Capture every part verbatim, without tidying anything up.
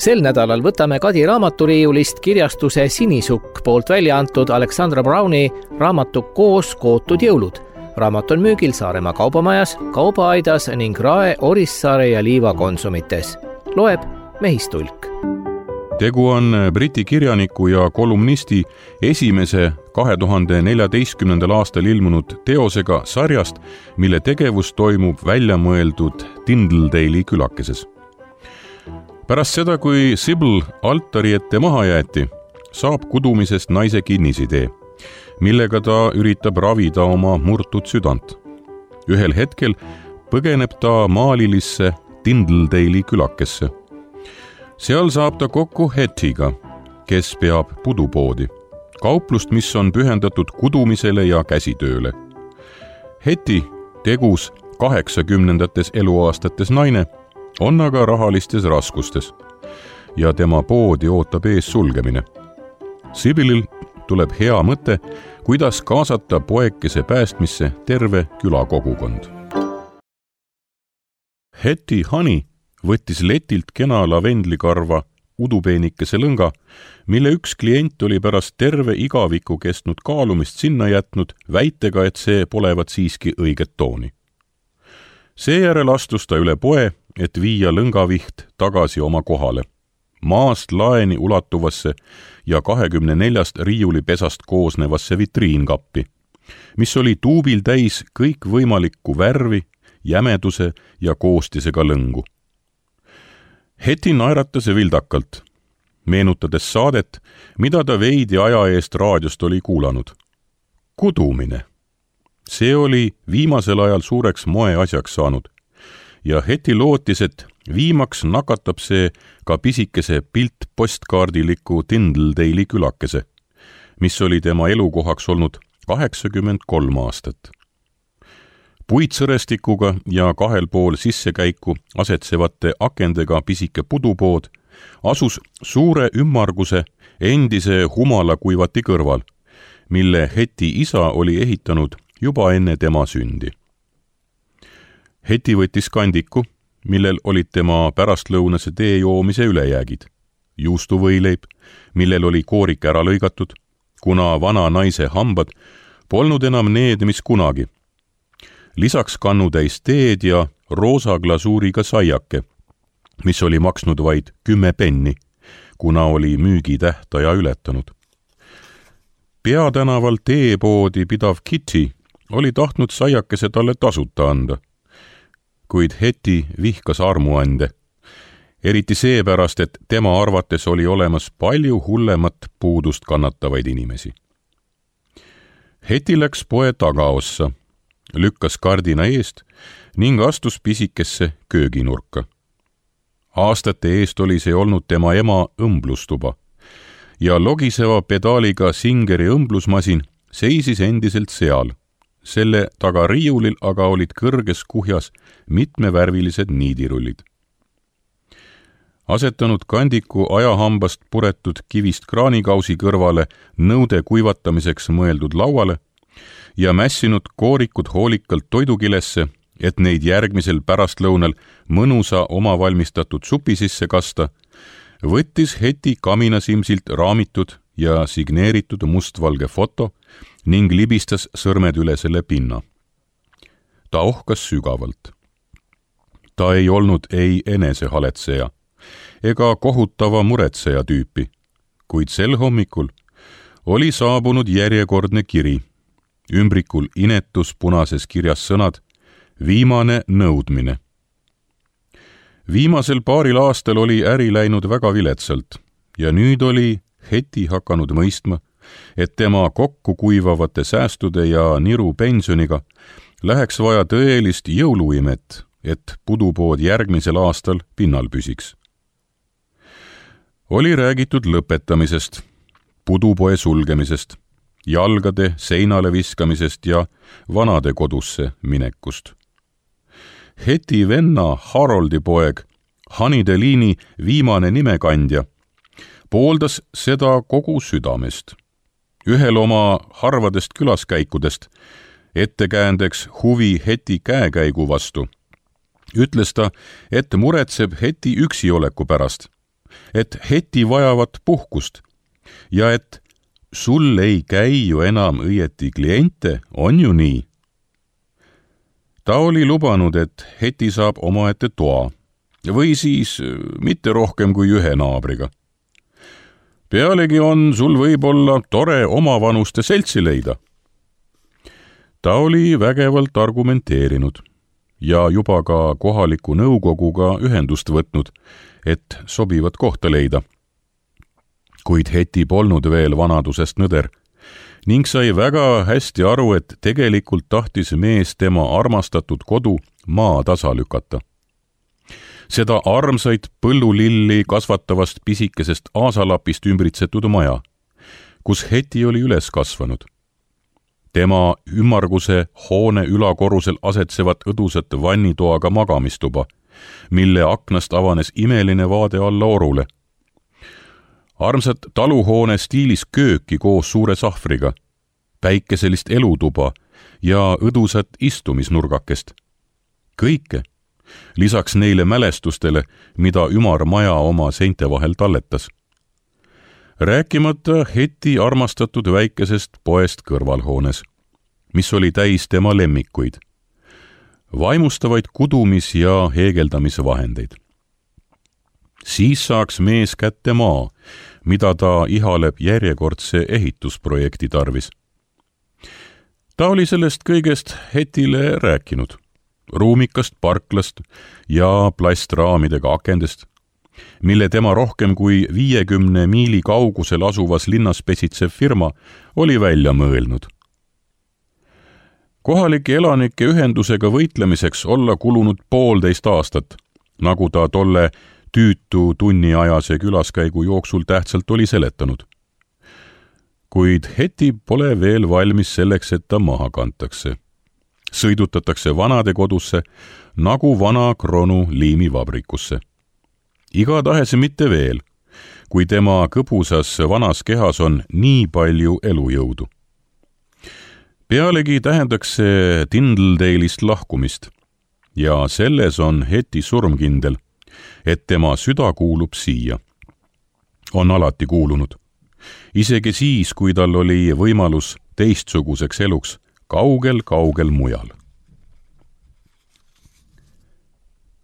Sel nädalal võtame Kadi raamaturiiulist kirjastuse Sinisukk poolt välja antud Alexandra Browni raamatu Koos kootud jõulud. Raamat on müügil Saaremaa kaubamajas, Kaubaaidas ning Rae, Orissaare ja Liiva konsumites. Loeb Mehistulk. Tegu on briti kirjaniku ja kolumnisti esimese kahe tuhande neljateistkümnendal aastal ilmunud teosega sarjast, mille tegevus toimub väljamõeldud Tyndaldale'i külakeses. Pärast seda, kui Sybil altari ette maha jäeti, saab kudumisest naise kinnisidee, millega ta üritab ravida oma murtud südant. Ühel hetkel põgeneb ta maalilisse Tyndaldale'i külakesse. Seal saab ta kokku Hettiga, kes peab pudupoodi, kauplust, mis on pühendatud kudumisele ja käsitööle. Hetti, tegus kaheksakümnendates eluaastates naine, on aga rahalistes raskustes ja tema poodi ootab ees sulgemine. Sybilil tuleb hea mõte, kuidas kaasata poekese päästmisse terve külakogukond. Hetti Honey võttis letilt kena lavendlikarva udupeenikese lõnga, mille üks klient oli pärast terve igaviku kestnud kaalumist sinna jätnud väitega, et see polevat siiski õiget tooni. Seejärel astus ta üle poe, et viia lõngaviht tagasi oma kohale, maast laeni ulatuvasse ja kahekümne neljast riiulipesast koosnevasse vitriinkappi, mis oli tuubil täis kõik võimalikku värvi, jämeduse ja koostisega lõngu. Hetti naeratas vildakalt, meenutades saadet, mida ta veidi aja eest raadiost oli kuulanud. Kudumine. See oli viimasel ajal suureks moeasjaks saanud ja Hetti lootis, et viimaks nakatab see ka pisikese piltpostkaardiliku Tyndaldale'i külakese, mis oli tema elukohaks olnud kaheksakümmend kolm aastat. Puitsõrestikuga ja kahel pool sissekäiku asetsevate akendega pisike pudupood asus suure ümmarguse endise humalakuivati kõrval, mille Hetti isa oli ehitanud juba enne tema sündi. Hetti võttis kandiku, millel olid tema pärastlõunase tee joomise ülejäägid, juustuvõileib, millel oli koorik ära lõigatud, kuna vana naise hambad polnud enam need, mis kunagi. Lisaks kannutäis teed ja roosa glasuuriga saiake, mis oli maksnud vaid kümme penni, kuna oli müügitähtaja ületanud. Peatänaval teepoodi pidav Kitty oli tahtnud saiakese talle tasuta anda, kuid Hetti vihkas armuande, eriti seepärast, et tema arvates oli olemas palju hullemat puudust kannatavaid inimesi. Hetti läks poe tagaossa, lükkas kardina eest ning astus pisikesse kööginurka. Aastate eest oli see olnud tema ema õmblustuba ja logiseva pedaaliga Singeri õmblusmasin seisis endiselt seal. Selle taga riiulil aga olid kõrges kuhjas mitmevärvilised niidirullid. Asetanud kandiku ajahambast puretud kivist kraanikausi kõrvale nõude kuivatamiseks mõeldud lauale ja mässinud koorikud hoolikalt toidukilesse, et neid järgmisel pärastlõunal mõnusa omavalmistatud supi sisse kasta, võttis Hetti kaminasimsilt raamitud ja signeeritud mustvalge foto ning libistas sõrmed üle selle pinna. Ta ohkas sügavalt. Ta ei olnud ei enesehaletseja ega kohutava muretseja tüüpi, kuid sel hommikul oli saabunud järjekordne kiri, ümbrikul inetus punases kirjas sõnad, viimane nõudmine. Viimasel paaril aastal oli äri läinud väga viletsalt ja nüüd oli Hetti hakanud mõistma, et tema kokku kuivavate säästude ja niru pensioniga läheks vaja tõelist jõuluimet, et pudupood järgmisel aastal pinnal püsiks. Oli räägitud lõpetamisest, pudupoe sulgemisest, jalgade seinale viskamisest ja vanade kodusse minekust. Hetti venna Haroldi poeg, Honeydale'i viimane nimekandja, pooldas seda kogu südamest. Ühel oma harvadest külaskäikudest, ettekäändeks huvi Hetti käekäigu vastu, ütles ta, et muretseb Hetti üksioleku pärast, et heti vajavat puhkust ja et sul ei käi ju enam õieti kliente, on ju nii? Ta oli lubanud, et heti saab omaette toa või siis mitte rohkem kui ühe naabriga. Pealegi on sul võib-olla tore omavanuste seltsi leida. Ta oli vägevalt argumenteerinud ja juba ka kohaliku nõukoguga ühendust võtnud, et sobivat kohta leida. Kuid heti polnud veel vanadusest nõder ning sai väga hästi aru, et tegelikult tahtis mees tema armastatud kodu maa tasa lükata. Seda armsaid põllulilli kasvatavast pisikesest aasalapist ümbritsetud maja, kus heti oli üles kasvanud. Tema ümmarguse hoone ülakorrusel asetsevat õdusat vannitoaga magamistuba, mille aknast avanes imeline vaade alla orule. Armsat taluhoone stiilis kööki koos suure sahvriga, päikeselist elutuba ja õdusat istumisnurgakest. Kõike, lisaks neile mälestustele, mida ümar maja oma seinte vahel talletas. Rääkimata heti armastatud väikesest poest kõrvalhoones, mis oli täis tema lemmikuid, vaimustavaid kudumis- ja heegeldamisvahendeid. Siis saaks mees kätte maa, mida ta ihaleb järjekordse ehitusprojekti tarvis. Ta oli sellest kõigest hetile rääkinud, ruumikast parklast ja plastraamidega akendest, mille tema rohkem kui viiekümne miili kaugusel asuvas linnas pesitsev firma oli välja mõelnud. Kohalike elanike ühendusega võitlemiseks olla kulunud poolteist aastat, nagu ta tolle tüütu tunniajase külaskäigu jooksul tähtsalt oli seletanud. Kuid heti pole veel valmis selleks, et ta maha kantakse. Sõidutatakse vanade kodusse nagu vana kronu liimivabrikusse. Igatahes mitte veel, kui tema kõbusas vanas kehas on nii palju elujõudu. Pealegi tähendaks see Tindledale'ist lahkumist ja selles on heti surmkindel, et tema süda kuulub siia. On alati kuulunud. Isegi siis, kui tal oli võimalus teistsuguseks eluks kaugel-kaugel mujal.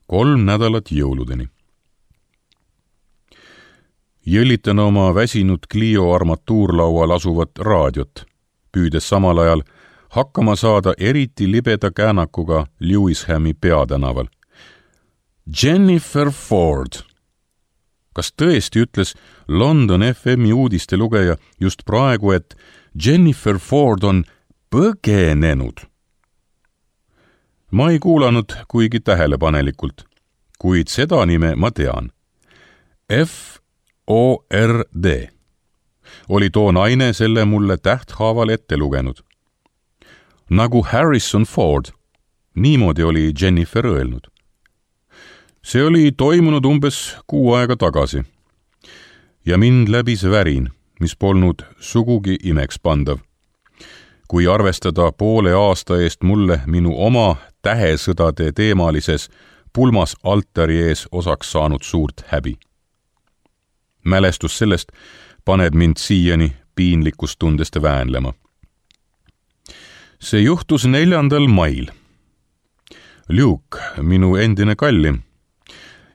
Kolm nädalat jõuludeni. Jõllitan oma väsinud Clio armatuurlaual asuvat raadiot, püüdes samal ajal hakkama saada eriti libeda käänakuga Lewishami peatänaval. Jennifer Ford. Kas tõesti ütles London F M-i uudiste lugeja just praegu, et Jennifer Ford on põgenenud? Ma ei kuulanud kuigi tähelepanelikult, kuid seda nime ma tean. F O R D oli too naine selle mulle tähthaaval ette lugenud. Nagu Harrison Ford, niimoodi oli Jennifer öelnud. See oli toimunud umbes kuu aega tagasi ja mind läbis värin, mis polnud sugugi imeks pandav. Kui arvestada poole aasta eest mulle minu oma tähesõdade teemalises pulmas altari ees osaks saanud suurt häbi. Mälestus sellest paneb mind siiani piinlikustundest väänlema. See juhtus neljandal mail. Luke, minu endine kallim,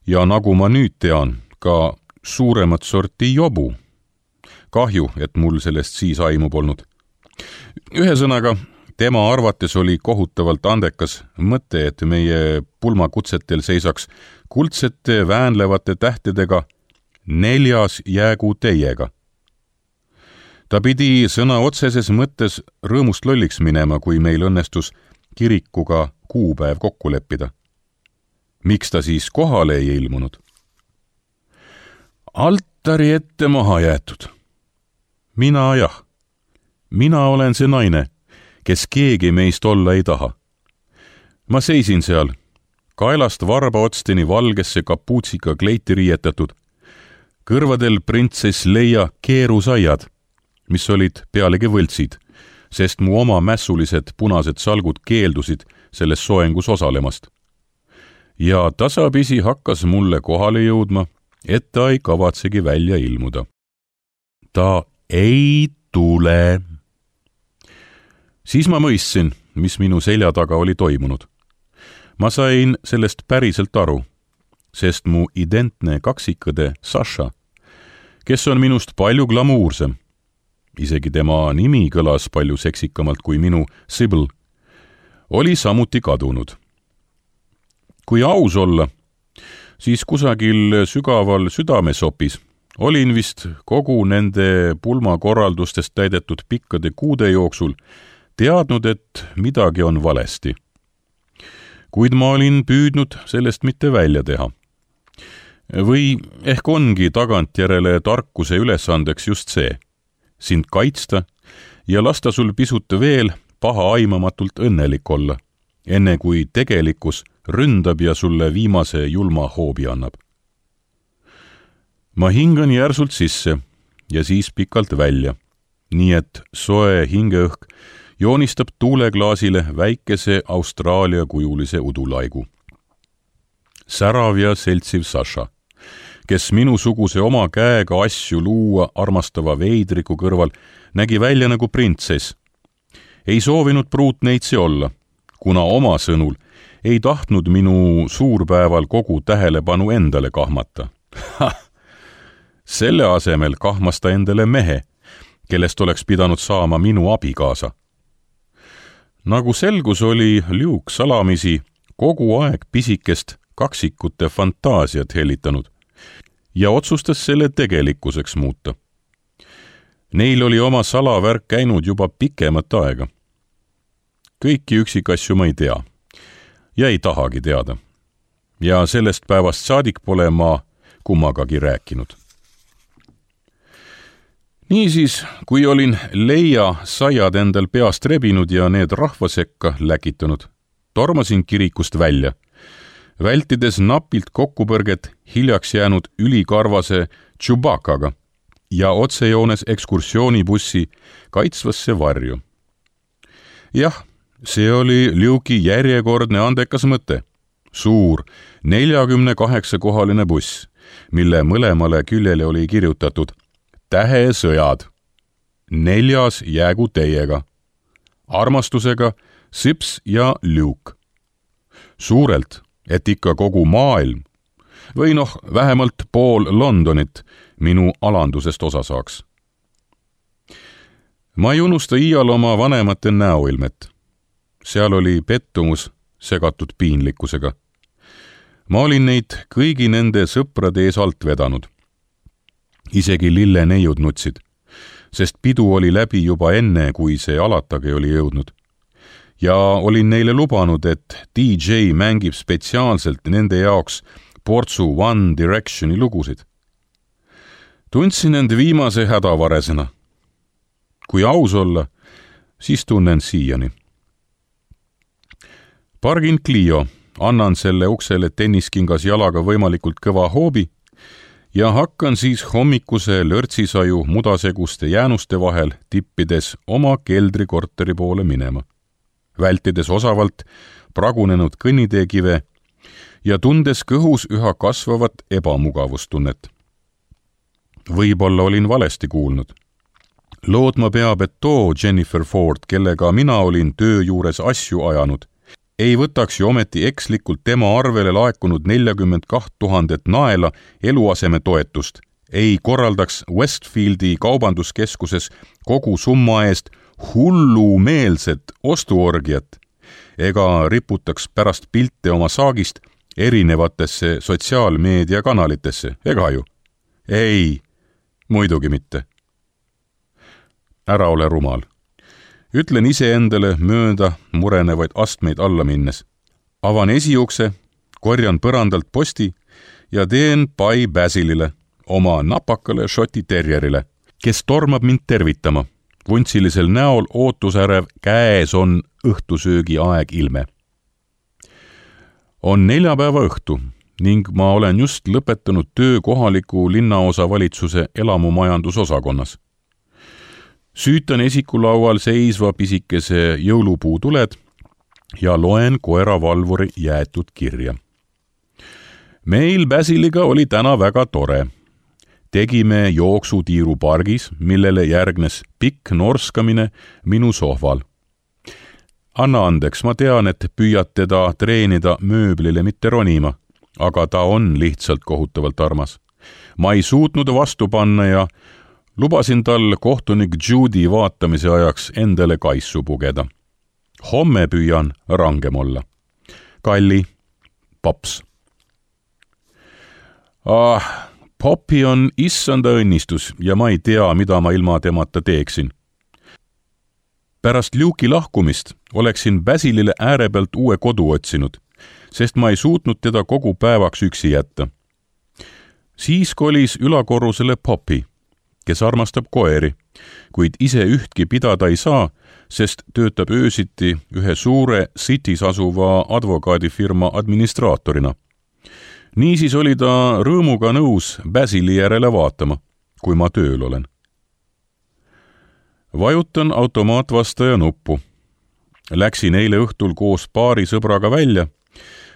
ja nagu ma nüüd tean, ka suuremat sorti jobu. Kahju, et mul sellest siis aimu polnud. Ühesõnaga, tema arvates oli kohutavalt andekas mõte, et meie pulmakutsetel seisaks kuldsete väänlevate tähtedega neljas jäägu teiega. Ta pidi sõna otseses mõttes rõõmust lolliks minema, kui meil õnnestus kirikuga kuupäev kokku leppida. Miks ta siis kohale ei ilmunud? Altari ette maha jäetud. Mina jah. Mina olen see naine, kes keegi meist olla ei taha. Ma seisin seal, kaelast varbaotsteni valgesse kapuutsika kleiti riietatud, kõrvadel printsess Leia keerusaiad, mis olid pealegi võltsid, sest mu oma mässulised punased salgud keeldusid selles soengus osalemast. Ja tasapisi hakkas mulle kohale jõudma, et ta ei kavatsegi välja ilmuda. Ta ei tule. Siis ma mõistsin, mis minu selja taga oli toimunud. Ma sain sellest päriselt aru, sest mu identne kaksikõde Sasha, kes on minust palju glamuursem, isegi tema nimi kõlas palju seksikamalt kui minu Sybil, oli samuti kadunud. Kui aus olla, siis kusagil sügaval südamesopis olin vist kogu nende pulmakorraldustest täidetud pikkade kuude jooksul teadnud, et midagi on valesti. Kuid ma olin püüdnud sellest mitte välja teha. Või ehk ongi tagantjärele tarkuse ülesandeks just see, sind kaitsta ja lasta sul pisut veel paha aimamatult õnnelik olla, enne kui tegelikkus ründab ja sulle viimase julma hoobi annab. Ma hingan järsult sisse ja siis pikalt välja, nii et soe hingeõhk joonistab tuuleklaasile väikese Austraalia kujulise udulaigu. Särav ja seltsiv Sasha, kes minusuguse oma käega asju luua armastava veidriku kõrval nägi välja nagu printsess, ei soovinud pruutneitsi olla, kuna oma sõnul ei tahtnud minu suurpäeval kogu tähelepanu endale kahmata. Selle asemel kahmas ta endale mehe, kellest oleks pidanud saama minu abikaasa. Nagu selgus, oli Luke salamisi kogu aeg pisikest kaksikute fantaasiat helitanud ja otsustas selle tegelikkuseks muuta. Neil oli oma salavärk käinud juba pikemat aega. Kõiki üksikasju ma ei tea ja ei tahagi teada. Ja sellest päevast saadik pole ma kummagagi rääkinud. Niisiis, kui olin leia saiad endal peast rebinud ja need rahva sekka läkitanud, tormasin kirikust välja, vältides napilt kokkupõrget hiljaks jäänud ülikarvase Chewbaccaga ja otsejoones ekskursioonibussi kaitsvasse varju. Jah, see oli Luke'i järjekordne andekas mõte. Suur neljakümne kaheksa kohaline buss, mille mõlemale küljele oli kirjutatud Tähesõjad. Neljas jäägu teiega. Armastusega Sips ja Luke. Suurelt, et ikka kogu maailm, või noh, vähemalt pool Londonit minu alandusest osa saaks. Ma ei unusta iial oma vanemate näoilmet. Seal oli pettumus segatud piinlikkusega. Ma olin neid kõigi nende sõprade ees alt vedanud. Isegi lille neiud nutsid, sest pidu oli läbi juba enne, kui see alatagi oli jõudnud. Ja olin neile lubanud, et D J mängib spetsiaalselt nende jaoks portsu One Directioni lugusid. Tundsin end viimase hädavaresena. Kui aus olla, siis tunnen siiani. Pargin Clio, annan selle uksele tenniskingas jalaga võimalikult kõva hoobi ja hakkan siis hommikuse lörtsisaju mudaseguste jäänuste vahel tippides oma keldrikorteri poole minema, vältides osavalt pragunenud kõnniteekive ja tundes kõhus üha kasvavat ebamugavustunnet. Võib-olla olin valesti kuulnud. Lootma peab, et too Jennifer Ford, kellega mina olin töö juures asju ajanud, ei võtaks ju ometi ekslikult tema arvele laekunud neljakümmend kaht tuhandet naela eluaseme toetust, ei korraldaks Westfieldi kaubanduskeskuses kogu summa eest hullumeelset ostuorgiat ega riputaks pärast pilte oma saagist erinevatesse sotsiaalmeediakanalitesse, ega ju? Ei, muidugi mitte. Ära ole rumal. Ütlen iseendale mööda murenevaid astmeid alla minnes. Avan esiukse, korjan põrandalt posti ja teen pai Basilile, oma napakale šoti terjerile, kes tormab mind tervitama. Vuntsilisel näol ootusärev käes on õhtusöögi aeg ilme. On neljapäeva õhtu ning ma olen just lõpetanud töö kohaliku linnaosa valitsuse elamumajandusosakonnas. Süütan esikulaual seisva pisikese jõulupuutuled ja loen koeravalvuri jäetud kirja. Meil Basiliga oli täna väga tore. Tegime jooksutiiru pargis, millele järgnes pikk norskamine minu sohval. Anna andeks, ma tean, et püüad teda treenida mööblile mitte ronima, aga ta on lihtsalt kohutavalt armas. Ma ei suutnud vastu panna ja lubasin tal kohtunik Judy vaatamise ajaks endale kaissu pugeda. Homme püüan rangem olla. Kalli, Pops. Ah, Popi on issanda õnnistus ja ma ei tea, mida ma ilma temata teeksin. Pärast Luke'i lahkumist oleksin Basilile ääre pealt uue kodu otsinud, sest ma ei suutnud teda kogu päevaks üksi jätta. Siis kolis ülakorrusele Popi, kes armastab koeri, kuid ise ühtki pidada ei saa, sest töötab öösiti ühe suure City's asuva advokaadifirma administraatorina. Niisiis oli ta rõõmuga nõus Basili järele vaatama, kui ma tööl olen. Vajutan automaatvastaja nuppu. Läksin eile õhtul koos paari sõbraga välja,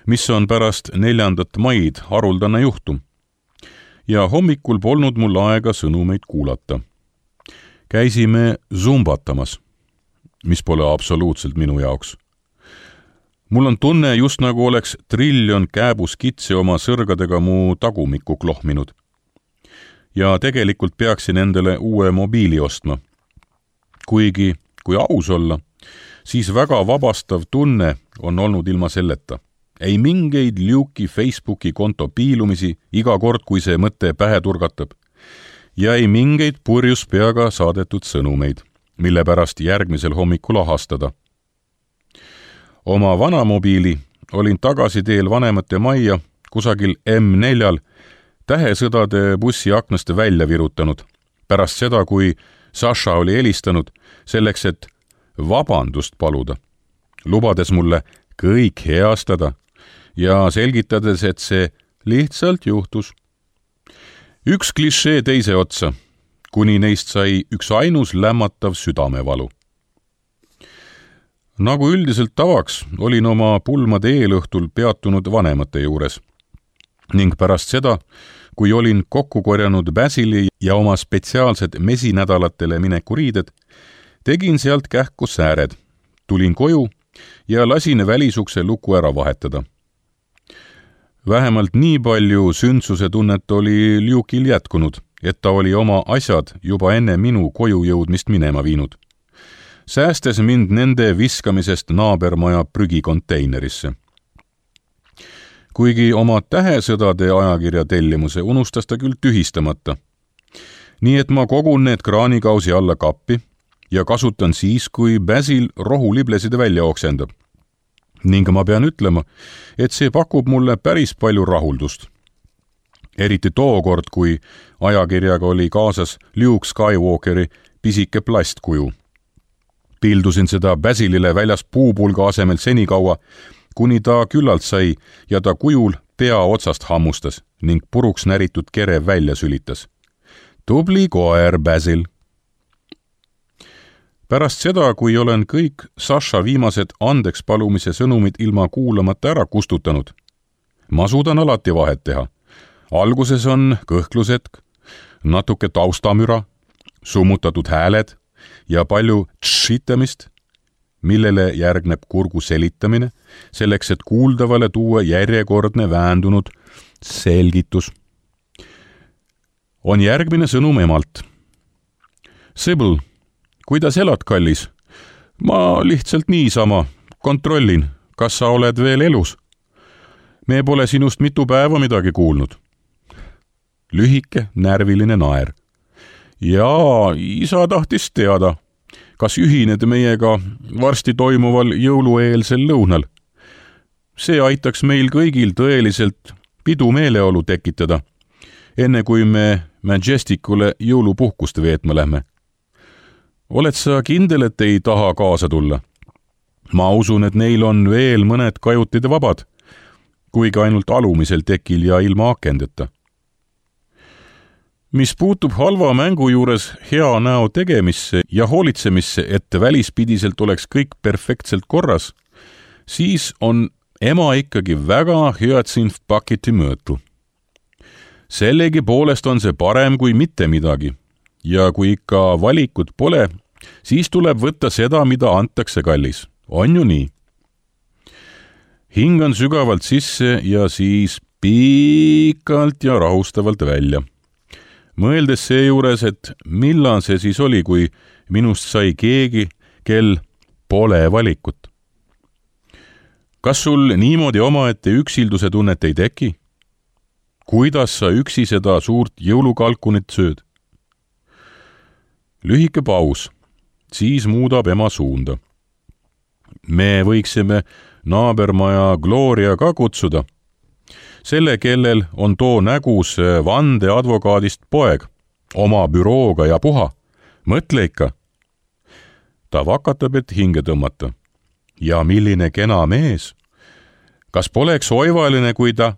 mis on pärast neljandat maid haruldane juhtum. Ja hommikul polnud mul aega sõnumeid kuulata. Käisime zumbatamas, mis pole absoluutselt minu jaoks. Mul on tunne, just nagu oleks triljon kääbuskitse oma sõrgadega mu tagumikku klohminud. Ja tegelikult peaksin endale uue mobiili ostma. Kuigi, kui aus olla, siis väga vabastav tunne on olnud ilma selleta. Ei mingeid Luke'i Facebooki konto piilumisi iga kord, kui see mõte pähe turgatab. Ja ei mingeid purjus peaga saadetud sõnumeid, mille pärast järgmisel hommikul ahastada. Oma vana mobiili olin tagasi teel vanemate majja kusagil M neljal tähesõdade bussi aknast välja virutanud, pärast seda, kui Sasha oli helistanud selleks, et vabandust paluda, lubades mulle kõik heastada ja selgitades, et see lihtsalt juhtus. Üks klišee teise otsa, kuni neist sai üks ainus lämmatav südamevalu. Nagu üldiselt tavaks, olin oma pulmade eelõhtul peatunud vanemate juures ning pärast seda, kui olin kokku korjanud Basili ja oma spetsiaalsed mesinädalatele minekuriided, tegin sealt kähku sääred, tulin koju ja lasin välisukse luku ära vahetada. Vähemalt nii palju sündsuse tunnet oli Luke'il jätkunud, et ta oli oma asjad juba enne minu koju jõudmist minema viinud, säästes mind nende viskamisest naabermaja prügikonteinerisse. Kuigi oma tähesõdade ajakirja tellimuse unustas ta küll tühistamata. Nii et ma kogun need kraanikausi alla kappi ja kasutan siis, kui Basil rohuliblesid välja oksendab. Ning ma pean ütlema, et see pakub mulle päris palju rahuldust. Eriti tookord, kui ajakirjaga oli kaasas Luke Skywalkeri pisike plastkuju. Pildusin seda Basilile väljas puupulga asemel senikaua, kuni ta küllalt sai ja ta kujul pea otsast hammustas ning puruks näritud kere välja sülitas. Tubli koer, Basil! Pärast seda, kui olen kõik Sasha viimased andeks palumise sõnumid ilma kuulamata ära kustutanud, ma suudan alati vahet teha. Alguses on kõhklusetk, natuke taustamüra, summutatud hääled ja palju tšitamist, millele järgneb kurgu selitamine, selleks, et kuuldavale tuua järjekordne väändunud selgitus. On järgmine sõnum emalt. Sybil, kuidas elad, kallis? Ma lihtsalt niisama kontrollin, kas sa oled veel elus. Me pole sinust mitu päeva midagi kuulnud. Lühike, närviline naer. Jaa, isa tahtis teada, kas ühined meiega varsti toimuval jõulueelsel lõunal. See aitaks meil kõigil tõeliselt pidumeeleolu tekitada, enne kui me Majesticule jõulupuhkust veetma lähme. Oled sa kindel, et ei taha kaasa tulla? Ma usun, et neil on veel mõned kajutid vabad, kuigi ainult alumisel tekil ja ilma akendeta. Mis puutub halva mängu juures hea näo tegemisse ja hoolitsemisse, et välispidiselt oleks kõik perfektselt korras, siis on ema ikkagi väga hüatsinfpaketi mõõtu. Sellegi poolest on see parem kui mitte midagi ja kui ikka valikut pole, siis tuleb võtta seda, mida antakse, kallis. On ju nii? Hingan sügavalt sisse ja siis pikalt ja rahustavalt välja. Mõeldes seejuures, et millal see siis oli, kui minust sai keegi, kel pole valikut. Kas sul niimoodi omaette üksilduse tunnet ei teki? Kuidas sa üksi seda suurt jõulukalkunit sööd? Lühike paus, siis muudab ema suunda. Me võiksime naabermaja Gloria ka kutsuda. Selle, kellel on too nägus vandeadvokaadist poeg, oma bürooga ja puha. Mõtle ikka. Ta vakatab, et hinge tõmmata. Ja milline kena mees. Kas poleks oivaline, kui ta...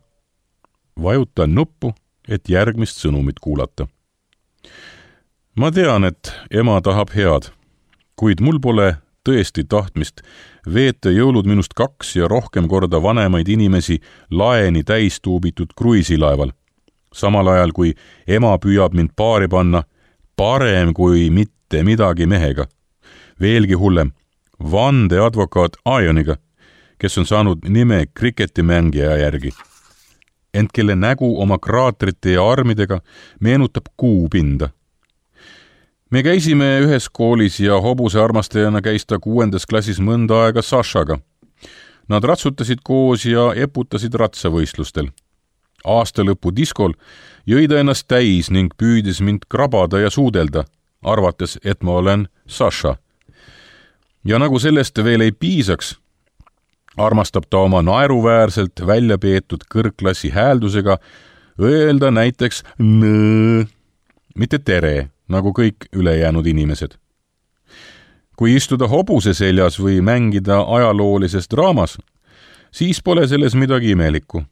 Vajutan nuppu, et järgmist sõnumit kuulata. Ma tean, et ema tahab head, kuid mul pole tõesti tahtmist veeta jõulud minust kaks ja rohkem korda vanemaid inimesi laeni täis tuubitud kruiisilaeval. Samal ajal, kui ema püüab mind paari panna, parem kui mitte midagi mehega. Veelgi hullem, vandeadvokaat Ioniga, kes on saanud nime kriketimängija järgi. Ent kelle nägu oma kraatrite ja armidega meenutab kuupinda. Me käisime ühes koolis ja hobuse armastajana käis ta kuuendas klassis mõnda aega Sašaga. Nad ratsutasid koos ja eputasid ratsavõistlustel. Aasta lõpu diskol jõi ta ennast täis ning püüdis mind krabada ja suudelda, arvates, et ma olen Saša. Ja nagu sellest veel ei piisaks, armastab ta oma naeruväärselt välja peetud kõrgklassi hääldusega öelda näiteks nõõ, mitte tere, nagu kõik ülejäänud inimesed. Kui istuda hobuse seljas või mängida ajaloolises draamas, siis pole selles midagi imelikku.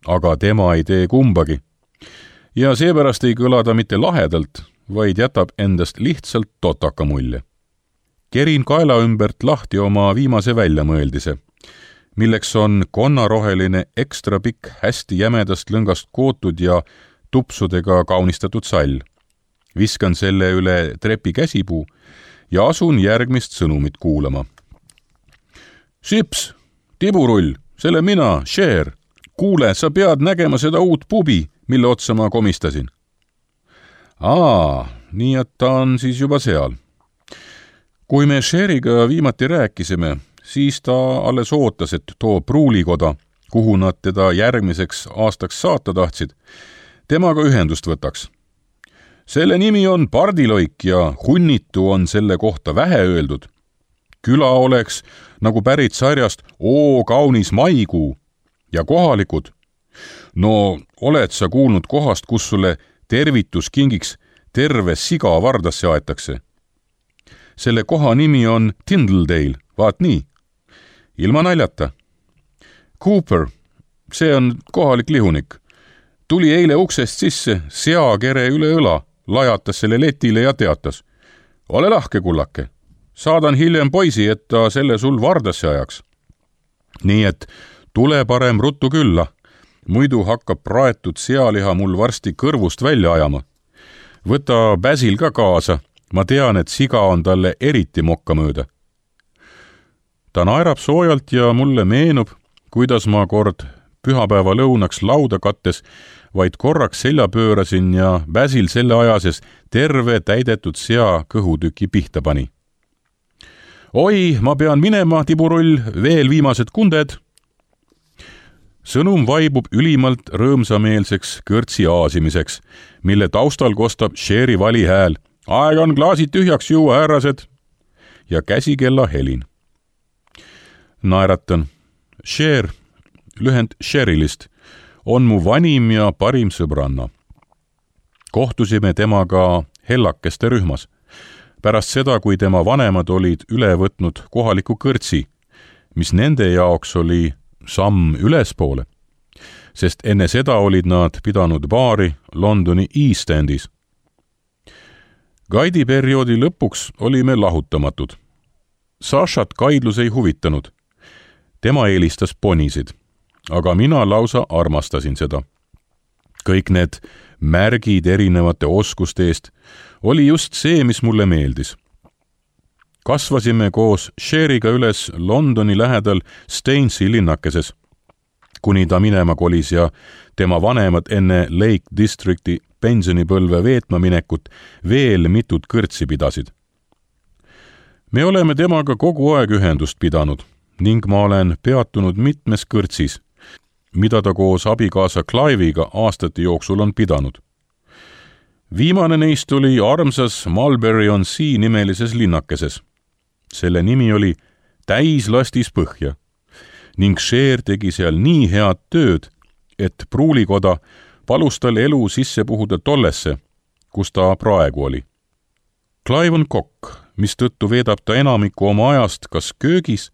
Aga tema ei tee kumbagi. Ja seepärast ei kõla ta mitte lahedalt, vaid jätab endast lihtsalt totaka mulje. Kerin kaela ümbert lahti oma viimase väljamõeldise, milleks on konnaroheline ekstra pikk hästi jämedast lõngast kootud ja tupsudega kaunistatud sall. Viskan selle üle trepi käsipuu ja asun järgmist sõnumit kuulama. Sips, tiburull, selle mina, Cher. Kuule, sa pead nägema seda uut pubi, mille otsa ma komistasin. Aa, nii et ta on siis juba seal. Kui me Cheriga viimati rääkisime, siis ta alles ootas, et too pruulikoda, kuhu nad teda järgmiseks aastaks saata tahtsid, temaga ühendust võtaks. Selle nimi on Pardiloik ja hunnitu on selle kohta vähe öeldud. Küla oleks nagu pärit sarjast Oo kaunis maikuu ja kohalikud. No oled sa kuulnud kohast, kus sulle tervituskingiks terve siga vardasse aetakse? Selle koha nimi on Tindledale, vaat nii. Ilma naljata. Cooper, see on kohalik lihunik. Tuli eile uksest sisse, seakere üle õla, lajatas selle letile ja teatas. Ole lahke, kullake. Saadan hiljem poisi, et ta selle sul vardasse ajaks. Nii et tule parem ruttu külla. Muidu hakkab praetud sealiha mul varsti kõrvust välja ajama. Võta Basil ka kaasa. Ma tean, et siga on talle eriti mokka mööda. Ta naerab soojalt ja mulle meenub, kuidas ma kord pühapäeva lõunaks lauda kattes, vaid korraks selja pöörasin ja Basil selle ajases terve täidetud sea kõhutüki pihta pani. Oi, ma pean minema, tiburull, veel viimased kunded. Sõnum vaibub ülimalt rõõmsameelseks kõrtsi aasimiseks, mille taustal kostab Cheri vali hääl. Aeg on klaasid tühjaks juua, härrased. Ja käsikella helin. Naeratan. Cher, lühend Cherilist, on mu vanim ja parim sõbranna. Kohtusime temaga hellakeste rühmas. Pärast seda, kui tema vanemad olid üle võtnud kohaliku kõrtsi, mis nende jaoks oli samm ülespoole, sest enne seda olid nad pidanud baari Londoni East Endis. Gaidi perioodi lõpuks olime lahutamatud. Sašat kaidlus ei huvitanud. tema eelistas ponisid, aga mina lausa armastasin seda. Kõik need märgid erinevate oskuste eest oli just see, mis mulle meeldis. Kasvasime koos Sheriga üles Londoni lähedal Stainsi linnakeses, kuni ta minema kolis ja tema vanemad enne Lake Districti pensionipõlve veetma minekut veel mitut kõrtsi pidasid. Me oleme temaga kogu aeg ühendust pidanud ning ma olen peatunud mitmes kõrtsis, mida ta koos abikaasa Clive'iga aastate jooksul on pidanud. Viimane neist oli armsas Mulberry-on-Sea nimelises linnakeses. Selle nimi oli Täislastis põhja ning Sher tegi seal nii head tööd, et pruulikoda palus tal elu sisse puhuda tollesse, kus ta praegu oli. Clive on kokk, mistõttu veedab ta enamiku oma ajast kas köögis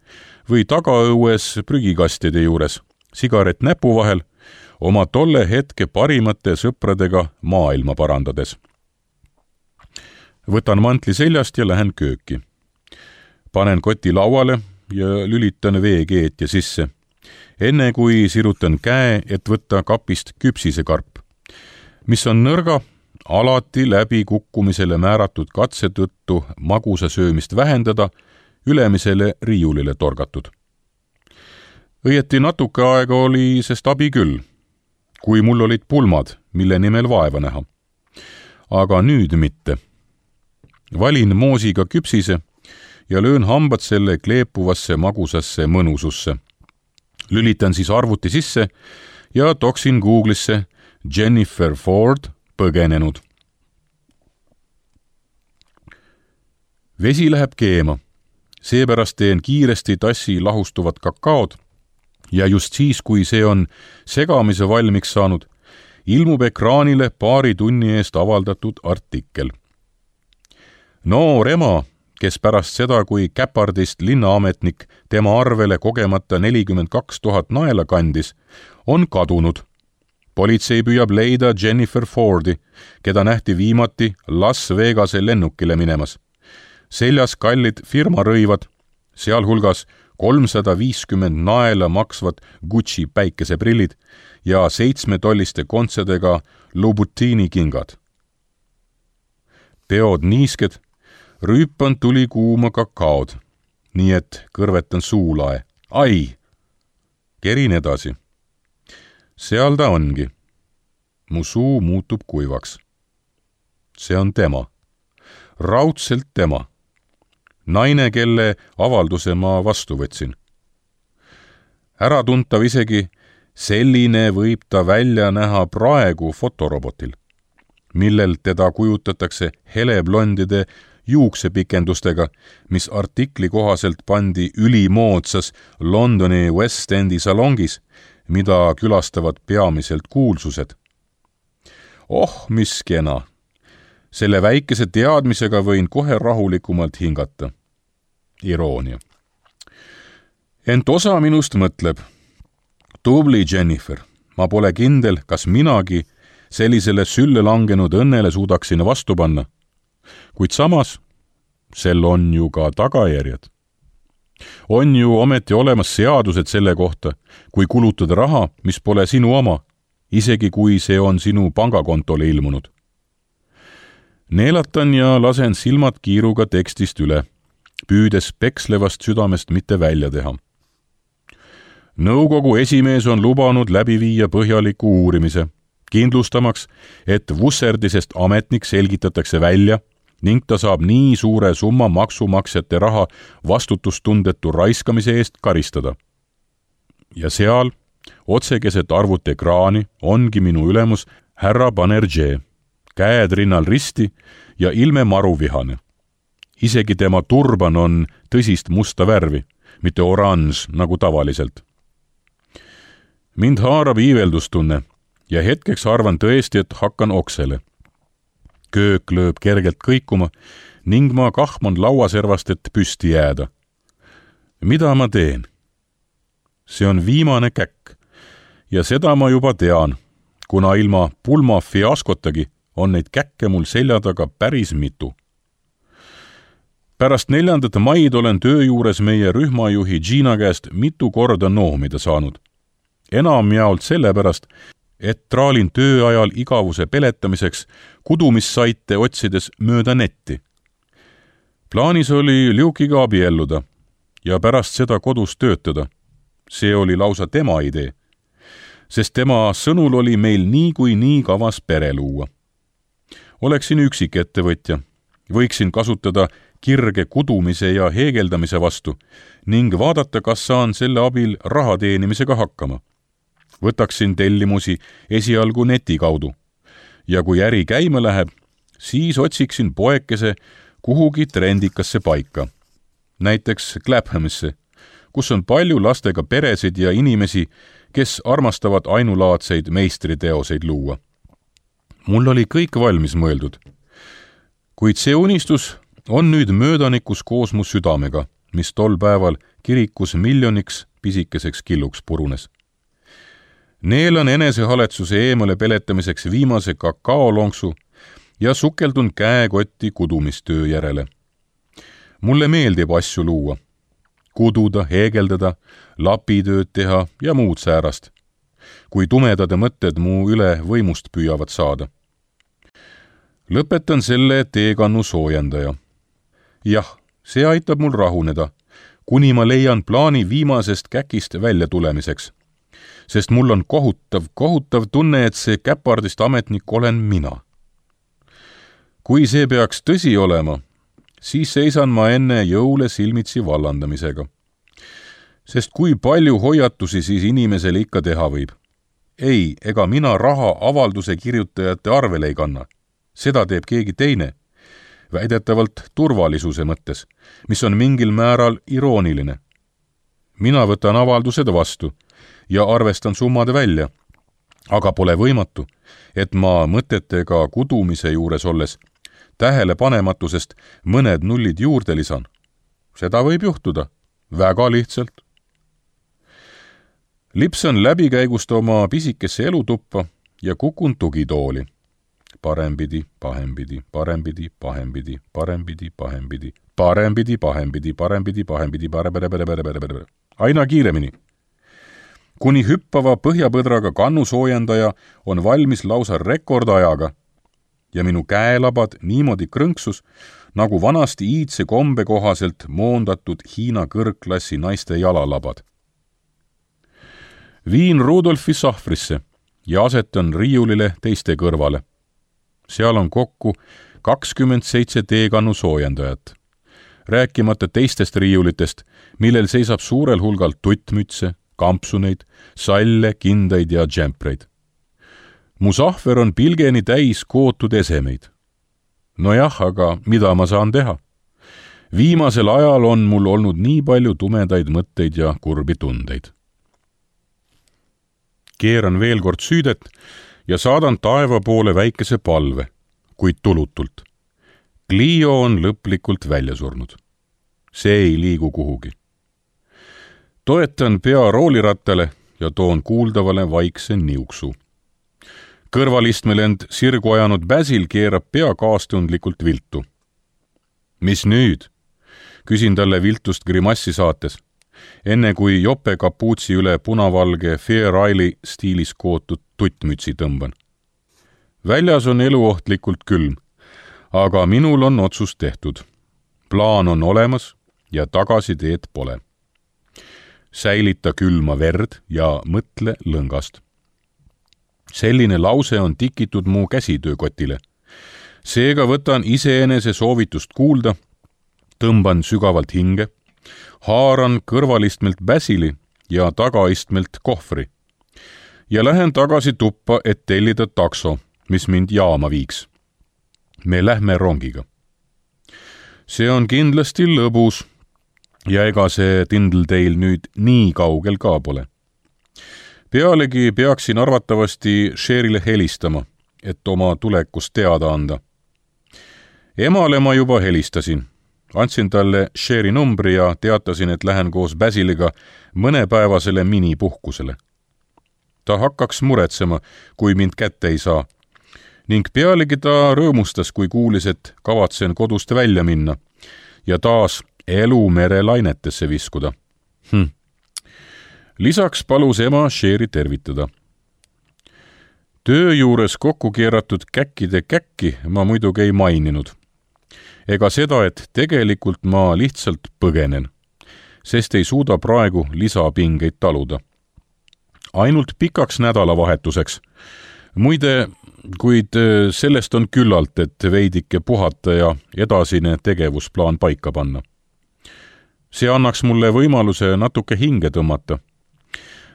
või tagaõues prügikastide juures, sigaret näpu vahel, oma tolle hetke parimate sõpradega maailma parandades. Võtan mantli seljast ja lähen kööki. Panen koti lauale ja lülitan veekeetja sisse, enne kui sirutan käe, et võtta kapist küpsisekarp, mis on nõrga, alati läbi kukkumisele määratud katse tõttu magusa söömist vähendada, ülemisele riiulile torgatud. Õieti natuke aega oli sest abi küll, kui mul olid pulmad, mille nimel vaeva näha. Aga nüüd mitte. Valin moosiga küpsise ja löön hambad selle kleepuvasse magusasse mõnususse. Lülitan siis arvuti sisse ja toksin Google'isse Jennifer Ford põgenenud. Vesi läheb keema, seepärast teen kiiresti tassi lahustuvat kakaod ja just siis, kui see on segamise valmiks saanud, ilmub ekraanile paari tunni eest avaldatud artikkel. Noor ema, kes pärast seda, kui Käpardist linnaametnik tema arvele kogemata nelikümmend kaks tuhat naela kandis, on kadunud. Politsei püüab leida Jennifer Fordi, keda nähti viimati Las Vegase lennukile minemas. Seljas kallid firmarõivad, sealhulgas kolmsada viiskümmend naela maksvad Gucci päikeseprillid ja seitsmetolliste kontsedega Louboutini kingad. Peod niisked, rüüpan tuli kuuma kakaod, nii et kõrvetan suulae. Ai! Kerin edasi. Seal ta ongi. Mu suu muutub kuivaks. See on tema. Raudselt tema. Naine, kelle avalduse ma vastu võtsin. Äratuntav isegi, selline võib ta välja näha praegu fotorobotil, millel teda kujutatakse heleblondide juuksepikendustega, mis artikli kohaselt pandi ülimoodsas Londoni West Endi salongis, mida külastavad peamiselt kuulsused. Oh, mis kena! Selle väikese teadmisega võin kohe rahulikumalt hingata. Iroonia. Ent osa minust mõtleb, tubli Jennifer, ma pole kindel, kas minagi sellisele sülle langenud õnnele suudaksin vastu panna. Kuid samas, sel on ju ka tagajärjed. On ju ometi olemas seadused selle kohta, kui kulutada raha, mis pole sinu oma, isegi kui see on sinu pangakontole ilmunud. Neelatan ja lasen silmad kiiruga tekstist üle, püüdes pekslevast südamest mitte välja teha. Nõukogu esimees on lubanud läbi viia põhjaliku uurimise, kindlustamaks, et vusserdisest ametnik selgitatakse välja ning ta saab nii suure summa maksumaksjate raha vastutustundetu raiskamise eest karistada. Ja seal, otsekeset arvuti ekraani, ongi minu ülemus härra Banerjee, käed rinnal risti ja ilme maruvihane. Isegi tema turban on tõsist musta värvi, mitte oranž nagu tavaliselt. Mind haarab iiveldustunne ja hetkeks arvan tõesti, et hakkan oksele. Köök lööb kergelt kõikuma ning ma kahman lauaservast, et püsti jääda. Mida ma teen? See on viimane käkk ja seda ma juba tean, kuna ilma pulma fiaskotagi on neid käkke mul selja taga päris mitu. pärast neljandat maid olen töö juures meie rühmajuhi Gina käest mitu korda noomida saanud. Enam jaolt sellepärast, et traalin töö ajal igavuse peletamiseks kudumissaite otsides mööda netti. Plaanis oli Luke'iga abielluda ja pärast seda kodus töötada. See oli lausa tema idee, sest tema sõnul oli meil nii kui nii kavas pere luua. Oleksin üksik ettevõtja, võiksin kasutada kirge kudumise ja heegeldamise vastu ning vaadata, kas saan selle abil raha teenimisega hakkama. Võtaksin tellimusi esialgu neti kaudu ja kui äri käima läheb, siis otsiksin poekese kuhugi trendikasse paika, näiteks Claphamisse, kus on palju lastega peresid ja inimesi, kes armastavad ainulaadseid meistriteoseid luua. Mul oli kõik valmis mõeldud, kuid see unistus on nüüd möödanikus koos mu südamega, mis tol päeval kirikus miljoniks pisikeseks killuks purunes. Neelan enesehaletsuse eemale peletamiseks viimase kakaolonksu ja sukeldun käekotti kudumistöö järele. Mulle meeldib asju luua, kududa, heegeldada, lapitööd teha ja muud säärast, kui tumedade mõtted mu üle võimust püüavad saada. Lõpetan selle teekannu soojendaja. Jah, see aitab mul rahuneda, kuni ma leian plaani viimasest käkist välja tulemiseks, sest mul on kohutav, kohutav tunne, et see käpardist ametnik olen mina. Kui see peaks tõsi olema, siis seisan ma enne jõule silmitsi vallandamisega. Sest kui palju hoiatusi siis inimesele ikka teha võib? Ei, ega mina raha avalduse kirjutajate arvele ei kanna. Seda teeb keegi teine, väidetavalt turvalisuse mõttes, mis on mingil määral irooniline. Mina võtan avaldused vastu ja arvestan summad välja, aga pole võimatu, et ma mõtetega kudumise juures olles tähelepanematusest mõned nullid juurde lisan. Seda võib juhtuda, väga lihtsalt. Lipsan läbikäigust oma pisikesse elutuppa ja kukun tugitooli. Parempidi, pahempidi, parempidi, pahempidi, parempidi, pahempidi, parempidi, pahempidi, parempidi, pahempidi, parempidi, aina kiiremini. Kuni hüppava põhjapõdraga kannusoojendaja on valmis lausa rekordajaga ja minu käelabad niimoodi krõnksus, nagu vanasti iidse kombe kohaselt moondatud Hiina kõrgklassi naiste jalalabad. Viin Rudolfi sahvrisse ja asetan riiulile teiste kõrvale. Seal on kokku kakskümmend seitse teekannu soojendajat, rääkimata teistest riiulitest, millel seisab suurel hulgal tuttmütse, kampsuneid, salle, kindaid ja džempreid. Mu sahver on pilgeni täis kootud esemeid. Nojah, aga mida ma saan teha? Viimasel ajal on mul olnud nii palju tumedaid mõtteid ja kurbi tundeid. Keeran veel kord süüdet ja saadan taeva poole väikese palve, kuid tulutult. Clio on lõplikult välja surnud. See ei liigu kuhugi. Toetan pea roolirattale ja toon kuuldavale vaikse niuksu. Kõrvalistmel end sirgu ajanud Basil keerab pea kaastundlikult viltu. Mis nüüd? Küsin talle viltust grimassi saates, enne kui jope kapuutsi üle punavalge Fair Isle'i stiilis kootud tuttmütsi tõmban. Väljas on eluohtlikult külm, aga minul on otsus tehtud. Plaan on olemas ja tagasiteed pole. Säilita külma verd ja mõtle lõngast. Selline lause on tikitud mu käsitöökotile. Seega võtan iseenese soovitust kuulda, tõmban sügavalt hinge, haaran kõrvalistmelt Basili ja tagaistmelt kohvri ja lähen tagasi tuppa, et tellida takso, mis mind jaama viiks. Me lähme rongiga. See on kindlasti lõbus ja ega see Tindleteil nüüd nii kaugel ka pole. Pealegi peaksin arvatavasti Sherile helistama, et oma tulekust teada anda. Emale ma juba helistasin. Andsin talle Sheri numbri ja teatasin, et lähen koos Basiliga mõnepäevasele minipuhkusele. Ta hakkaks muretsema, kui mind kätte ei saa. Ning pealegi ta rõõmustas, kui kuulis, et kavatsen kodust välja minna ja taas elu merelainetesse viskuda. Hm. Lisaks palus ema Cheri tervitada. Töö juures kokku keeratud käkkide käkki ma muidugi ei maininud. Ega seda, et tegelikult ma lihtsalt põgenen, sest ei suuda praegu lisapingeid taluda. Ainult pikaks nädalavahetuseks. Muide, kuid sellest on küllalt, et veidike puhata ja edasine tegevusplaan paika panna. See annaks mulle võimaluse natuke hinge tõmmata.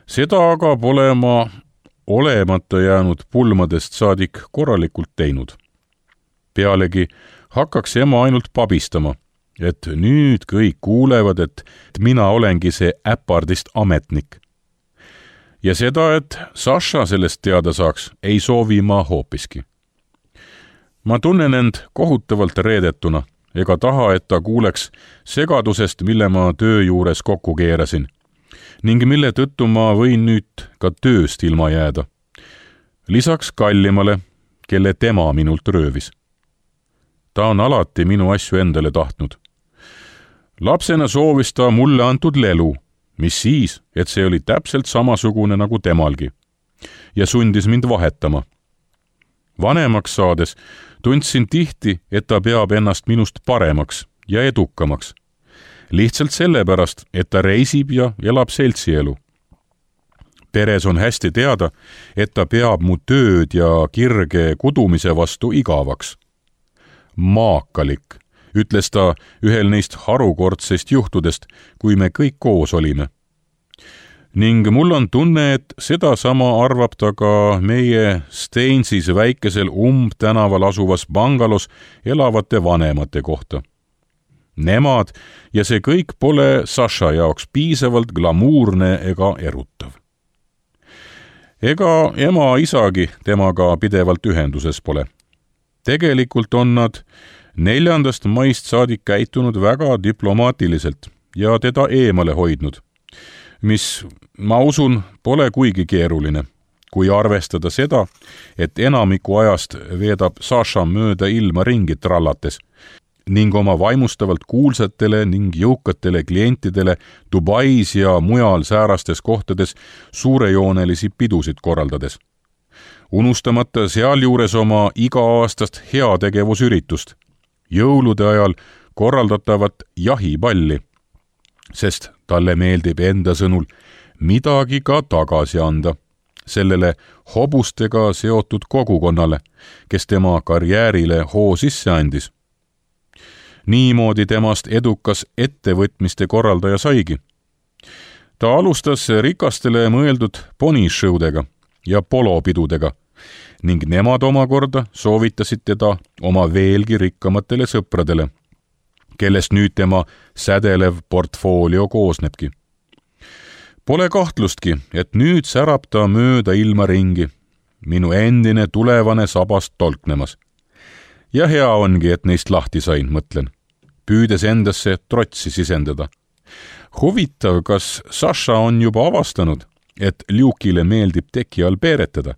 Seda aga pole ma olemata jäänud pulmadest saadik korralikult teinud. Pealegi hakkaks ema ainult pabistama, et nüüd kõik kuulevad, et mina olengi see äpardist ametnik. Ja seda, et Saša sellest teada saaks, ei soovi ma hoopiski. Ma tunnen end kohutavalt reedetuna, ega taha, et ta kuuleks segadusest, mille ma töö juures kokku keerasin, ning mille tõttu ma võin nüüd ka tööst ilma jääda. Lisaks kallimale, kelle tema minult röövis. Ta on alati minu asju endale tahtnud. Lapsena soovis ta mulle antud lelu, mis siis, et see oli täpselt samasugune nagu temalgi, ja sundis mind vahetama. Vanemaks saades tundsin tihti, et ta peab ennast minust paremaks ja edukamaks. Lihtsalt sellepärast, et ta reisib ja elab seltsielu. Peres on hästi teada, et ta peab mu tööd ja kirge kudumise vastu igavaks. Maakalik, ütles ta ühel neist harukordsest juhtudest, kui me kõik koos olime. Ning mul on tunne, et sedasama arvab ta ka meie Steinsis väikesel umbtänaval asuvas bangalos elavate vanemate kohta. Nemad ja see kõik pole Saša jaoks piisavalt glamuurne ega erutav. Ega ema isagi temaga pidevalt ühenduses pole. Tegelikult on nad neljandast maist saadik käitunud väga diplomaatiliselt ja teda eemale hoidnud, mis, ma usun, pole kuigi keeruline, kui arvestada seda, et enamiku ajast veedab Saša mööda ilma ringi trallates ning oma vaimustavalt kuulsatele ning jõukatele klientidele Dubais ja mujal säärastes kohtades suurejoonelisi pidusid korraldades. Unustamata sealjuures oma iga-aastast heategevusüritust, jõulude ajal korraldatavat jahipalli, sest talle meeldib enda sõnul midagi ka tagasi anda sellele hobustega seotud kogukonnale, kes tema karjäärile hoo sisse andis. Niimoodi temast edukas ettevõtmiste korraldaja saigi. Ta alustas rikastele mõeldud ponishowdega ja polopidudega ning nemad omakorda soovitasid teda oma veelgi rikkamatele sõpradele, kellest nüüd tema sädelev portfoolio koosnebki. Pole kahtlustki, et nüüd särab ta mööda ilma ringi, minu endine tulevane sabast tolknemas. Ja hea ongi, et neist lahti sain, mõtlen, püüdes endasse trotsi sisendada. Huvitav, kas Saša on juba avastanud, et Ljukile meeldib teki all peeretada?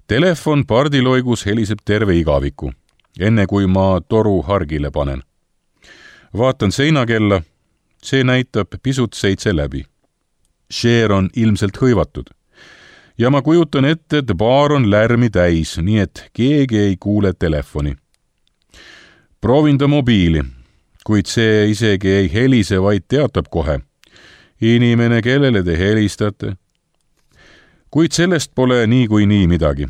Telefon pardiloigus heliseb terve igaviku, enne kui ma toru hargile panen. Vaatan seinakella, see näitab pisut seitse läbi. Cher on ilmselt hõivatud. Ja ma kujutan ette, et baar on lärmi täis, nii et keegi ei kuule telefoni. Proovin ta mobiili, kuid see isegi ei helise, vaid teatab kohe. Inimene, kellele te helistate? Kuid sellest pole nii kui nii midagi.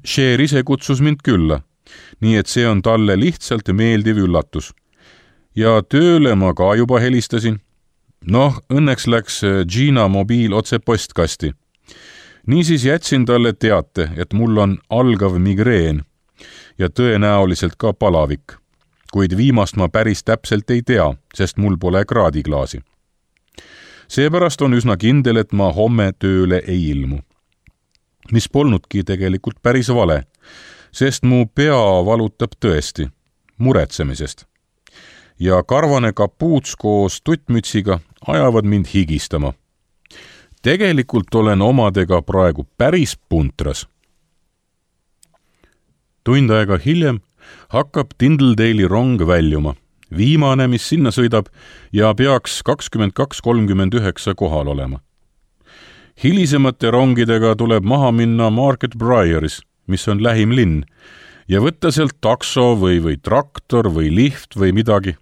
Cher ise kutsus mind külla, nii et see on talle lihtsalt meeldiv üllatus. Ja tööle ma ka juba helistasin. Noh, õnneks läks Gina mobiil otse postkasti. Niisiis jätsin talle teate, et mul on algav migreen ja tõenäoliselt ka palavik, kuid viimast ma päris täpselt ei tea, sest mul pole kraadiklaasi. Seepärast on üsna kindel, et ma homme tööle ei ilmu. Mis polnudki tegelikult päris vale, sest mu pea valutab tõesti muretsemisest. Ja karvane kapuuts koos tuttmütsiga ajavad mind higistama. Tegelikult olen omadega praegu päris puntras. Tund aega hiljem hakkab Tyndalli rong väljuma. Viimane, mis sinna sõidab ja peaks kakskümmend kaks kolmkümmend üheksa kohal olema. Hilisemate rongidega tuleb maha minna Market Brieris, mis on lähim linn, ja võtta sealt takso või, või traktor või lift või midagi.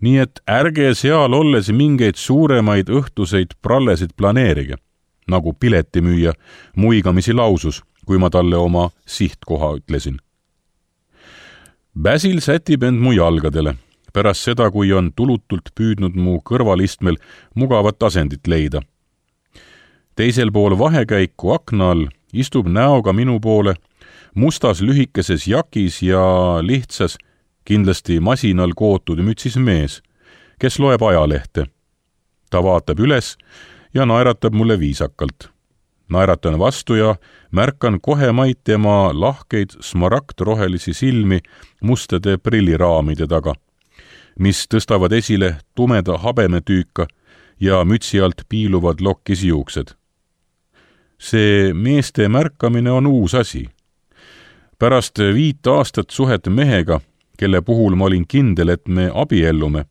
Nii et ärge seal olles mingeid suuremaid õhtuseid prallesid planeerige, nagu piletimüüja muigamisi lausus, kui ma talle oma sihtkoha ütlesin. Basil sätib end mu jalgadele, pärast seda, kui on tulutult püüdnud mu kõrvalistmel mugavat asendit leida. Teisel pool vahekäiku akna all istub näoga minu poole mustas lühikeses jakis ja lihtsas, kindlasti masinal kootud mütsis mees, kes loeb ajalehte. Ta vaatab üles ja naeratab mulle viisakalt. Naeratan vastu ja märkan kohe maid tema lahkeid smaragdrohelisi silmi mustade prilliraamide taga, mis tõstavad esile tumeda habemetüüka ja mütsi alt piiluvad lokkis juuksed. See meeste märkamine on uus asi. Pärast viit aastat suhet mehega, kelle puhul ma olin kindel, et me abiellume,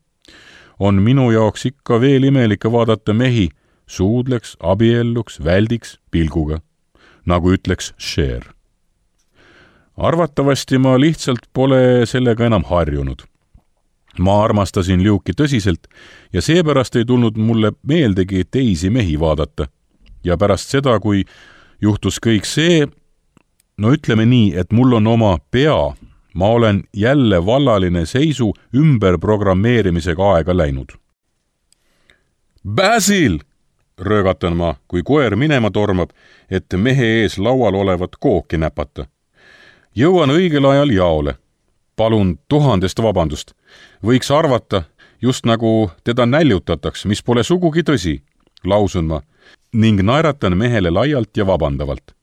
on minu jaoks ikka veel imelik vaadata mehi suudleks, abielluks, väldiks, pilguga, nagu ütleks Cher. Arvatavasti ma lihtsalt pole sellega enam harjunud. Ma armastasin Luke'i tõsiselt ja seepärast ei tulnud mulle meeldegi teisi mehi vaadata. Ja pärast seda, kui juhtus kõik see, no ütleme nii, et mul on oma pea, ma olen jälle vallaline seisu ümberprogrammeerimisega aega läinud. Basil! Röögatan ma, kui koer minema tormab, et mehe ees laual olevat kooki näpata. Jõuan õigel ajal jaole. Palun tuhandest vabandust. Võiks arvata, just nagu teda näljutataks, mis pole sugugi tõsi, lausun ma, ning naeratan mehele laialt ja vabandavalt.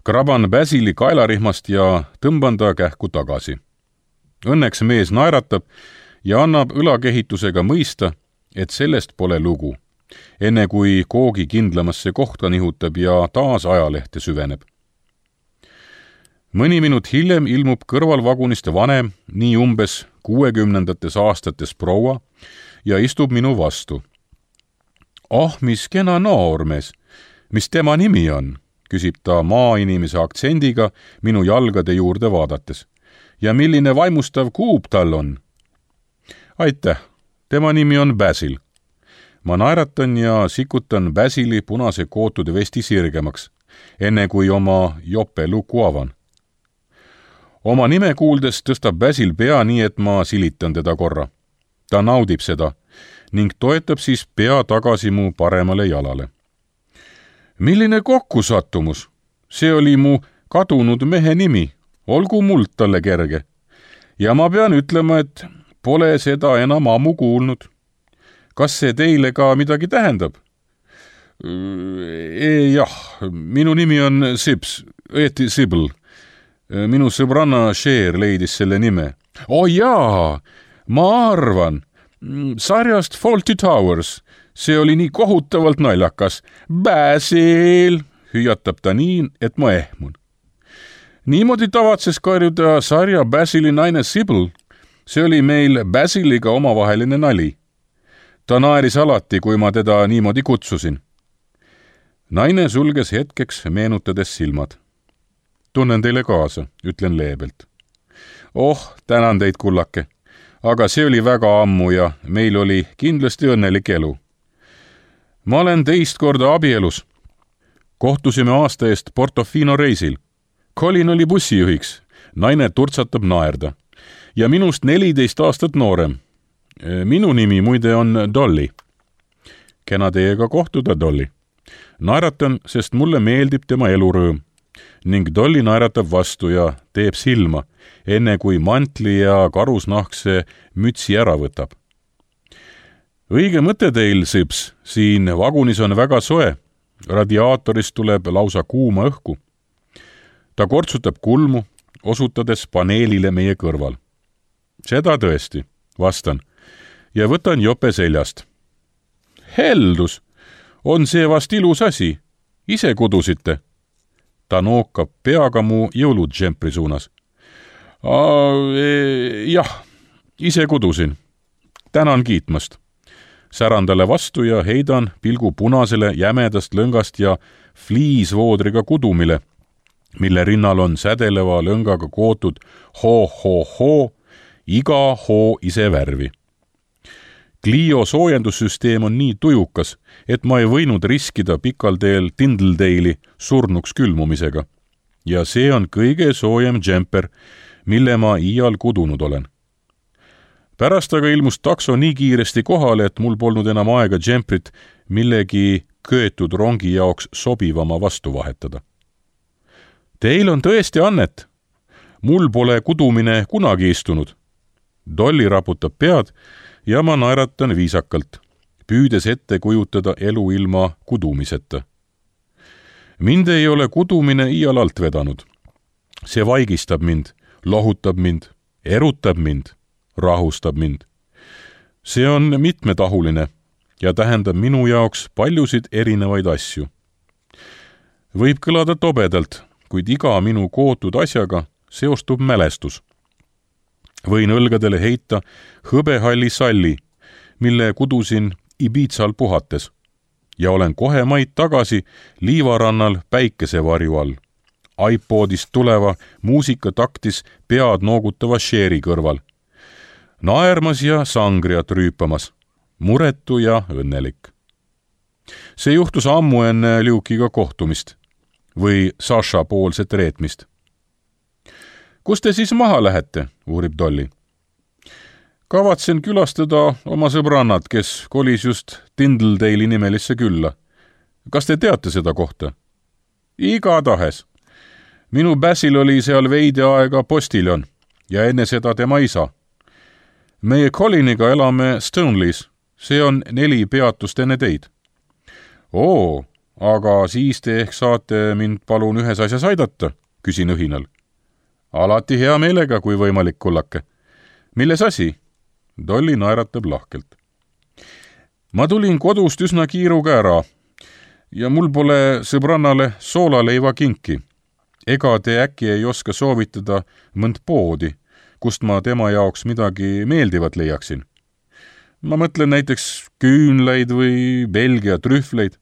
Kraban Basili kaelarihmast ja tõmban ta kähku tagasi. Õnneks mees naeratab ja annab õlakehitusega mõista, et sellest pole lugu, enne kui koogi kindlamasse kohta nihutab ja taas ajalehte süveneb. Mõni minut hiljem ilmub kõrvalvagunist vanem, nii umbes kuuekümnendates aastates proua ja istub minu vastu. Oh, mis kena noormees, mis tema nimi on, küsib ta maainimese aktsendiga minu jalgade juurde vaadates. Ja milline vaimustav kuub tal on? Aitäh, tema nimi on Basil. Ma naeratan ja sikutan Basili punase kootud vesti sirgemaks, enne kui oma jope luku avan. Oma nime kuuldes tõstab Basil pea nii, et ma silitan teda korra. Ta naudib seda ning toetab siis pea tagasi mu paremale jalale. Milline kokkusattumus? See oli mu kadunud mehe nimi. Olgu muld talle kerge. Ja ma pean ütlema, et pole seda enam ammu kuulnud. Kas see teile ka midagi tähendab? E, jah, minu nimi on Sips, õieti Sibyl. Minu sõbranna Cher leidis selle nime. Oh jaa, ma arvan. Sarjast Fawlty Towers. See oli nii kohutavalt naljakas. Basil, hüüatab ta nii, et ma ehmun. Niimoodi tavatses karjuda sarja Basili naine Sibyl. See oli meil Basiliga omavaheline nali. Ta naeris alati, kui ma teda niimoodi kutsusin. Naine sulges hetkeks, meenutades silmad. Tunnen teile kaasa, ütlen leebelt. Oh, tänan teid, kullake. Aga see oli väga ammu ja meil oli kindlasti õnnelik elu. Ma olen teist korda abielus. Kohtusime aasta eest Portofino reisil. Colin oli bussijuhiks. Naine turtsatab naerda. Ja minust neliteist aastat noorem. Minu nimi muide on Dolly. Kena teiega kohtuda, Dolly. Naeratan, sest mulle meeldib tema elurõõm. Ning Dolly naeratab vastu ja teeb silma, enne kui mantli ja karusnahkse mütsi ära võtab. Õige mõte teil, Sips, siin vagunis on väga soe. Radiaatorist tuleb lausa kuuma õhku. Ta kortsutab kulmu, osutades paneelile meie kõrval. Seda tõesti, vastan, ja võtan jope seljast. Heldus, on see vast ilus asi, ise kudusite. Ta nookab peaga mu jõuludžempri suunas. Jah, ise kudusin. Tänan kiitmast. Säran talle vastu ja heidan pilgu punasele jämedast lõngast ja fliisvoodriga kudumile, mille rinnal on sädeleva lõngaga kootud ho-ho-ho, iga hoo ise värvi. Clio soojendussüsteem on nii tujukas, et ma ei võinud riskida pikal teel Tindledale'i surnuks külmumisega. Ja see on kõige soojem džemper, mille ma iial kudunud olen. Pärast aga ilmus takso nii kiiresti kohale, et mul polnud enam aega džemprit millegi köetud rongi jaoks sobivama vastu vahetada. Teil on tõesti annet. Mul pole kudumine kunagi istunud. Dolly raputab pead ja ma naeratan viisakalt, püüdes ette kujutada elu ilma kudumiseta. Mind ei ole kudumine iial alt vedanud. See vaigistab mind, lohutab mind, erutab mind, rahustab mind. See on mitmetahuline ja tähendab minu jaoks paljusid erinevaid asju. Võib kõlada tobedalt, kuid iga minu kootud asjaga seostub mälestus. Võin õlgadele heita hõbehalli salli, mille kudusin Ibizal puhates ja olen kohe maid tagasi liivarannal päikesevarju all, iPodist tuleva muusikataktis pead noogutava Sheri kõrval, naermas ja sangriat rüüpamas, muretu ja õnnelik. See juhtus ammu enne Luke'iga kohtumist või Sasha poolset reetmist. Kus te siis maha lähete, uurib Dolly. Kavatsen külastada oma sõbrannat, kes kolis just Tindledale'i nimelisse külla. Kas te teate seda kohta? Igatahes. Minu Basil oli seal veidi aega postiljon ja enne seda tema isa. Meie Coliniga elame Stoneleys. See on neli peatust enne teid. Oo, aga siis te ehk saate mind palun ühes asjas aidata, küsin õhinal. Alati hea meelega, kui võimalik, kullake. Milles asi? Dolly naeratab lahkelt. Ma tulin kodust üsna kiiruga ära ja mul pole sõbrannale soolaleiva kinki. Ega te äkki ei oska soovitada mõnd poodi, kust ma tema jaoks midagi meeldivat leiaksin. Ma mõtlen näiteks küünleid või Belgia trühvleid.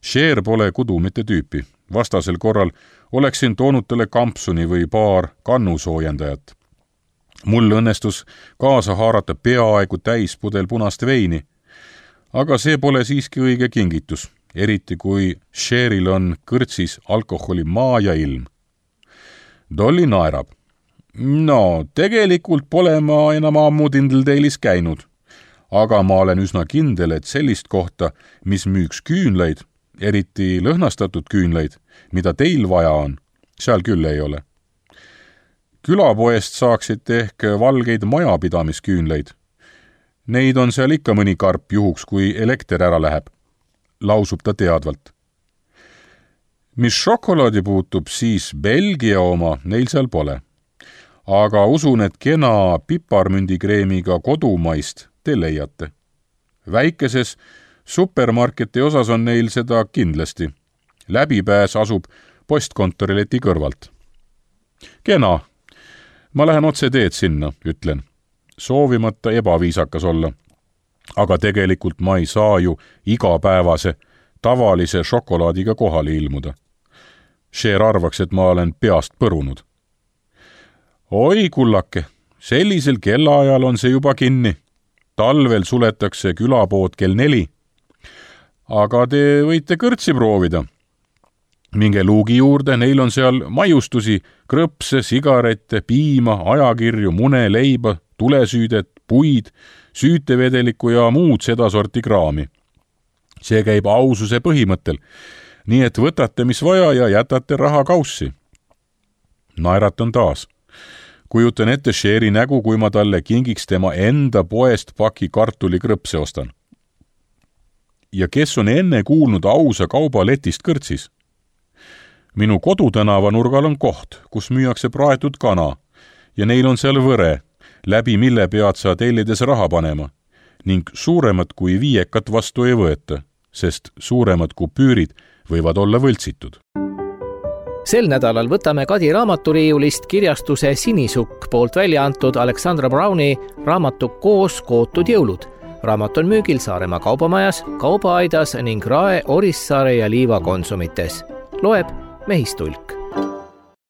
Cher pole kudumite tüüpi. Vastasel korral oleksin toonud talle kampsuni või paar kannusoojendajat. Mul õnnestus kaasa haarata peaaegu täis pudel punast veini, aga see pole siiski õige kingitus, eriti kui Cheril on kõrtsis alkoholi maa ja ilm. Dolly naerab. No, tegelikult pole ma enam ammu Tindledale'is käinud, aga ma olen üsna kindel, et sellist kohta, mis müüks küünleid, eriti lõhnastatud küünleid, mida teil vaja on, seal küll ei ole. Külapoest saaksite ehk valgeid majapidamisküünleid. Neid on seal ikka mõni karp juhuks, kui elekter ära läheb, lausub ta teadvalt. Mis šokolaadi puutub, siis Belgia oma neil seal pole. Aga usun, et kena piparmündigreemiga kodumaist te leiate. Väikeses supermarketi osas on neil seda kindlasti. Läbipääs asub postkontorileti kõrvalt. Kena. Ma lähen otse teed sinna, ütlen. Soovimata ebaviisakas olla. Aga tegelikult ma ei saa ju igapäevase, tavalise šokolaadiga kohale ilmuda. Cher arvaks, et ma olen peast põrunud. Oi, kullake, sellisel kellaajal on see juba kinni. Talvel suletakse külapood kell neli. Aga te võite kõrtsi proovida. Minge luugi juurde, neil on seal maiustusi, krõpse, sigarette, piima, ajakirju, mune, leiba, tulesüüdet, puid, süütevedelikku ja muud sedasorti kraami. See käib aususe põhimõttel, nii et võtate mis vaja ja jätate raha kaussi. Naeratan taas. Kujutan ette Cheri nägu, kui ma talle kingiks tema enda poest paki kartuli krõpse ostan. Ja kes on enne kuulnud ausa kauba letist kõrtsis? Minu kodutänava nurgal on koht, kus müüakse praetud kana ja neil on seal võre, läbi mille pead sa tellides raha panema ning suuremat kui viiekat vastu ei võeta, sest suuremad kupüürid võivad olla võltsitud. sel nädalal võtame Kadi raamaturiiulist kirjastuse Sinisukk poolt välja antud Alexandra Browni raamatu Koos kootud jõulud. Raamat on müügil Saaremaa kaubamajas, Kaubaaidas ning Rae, Orissaare ja Liiva konsumites. Loeb Mehistulk.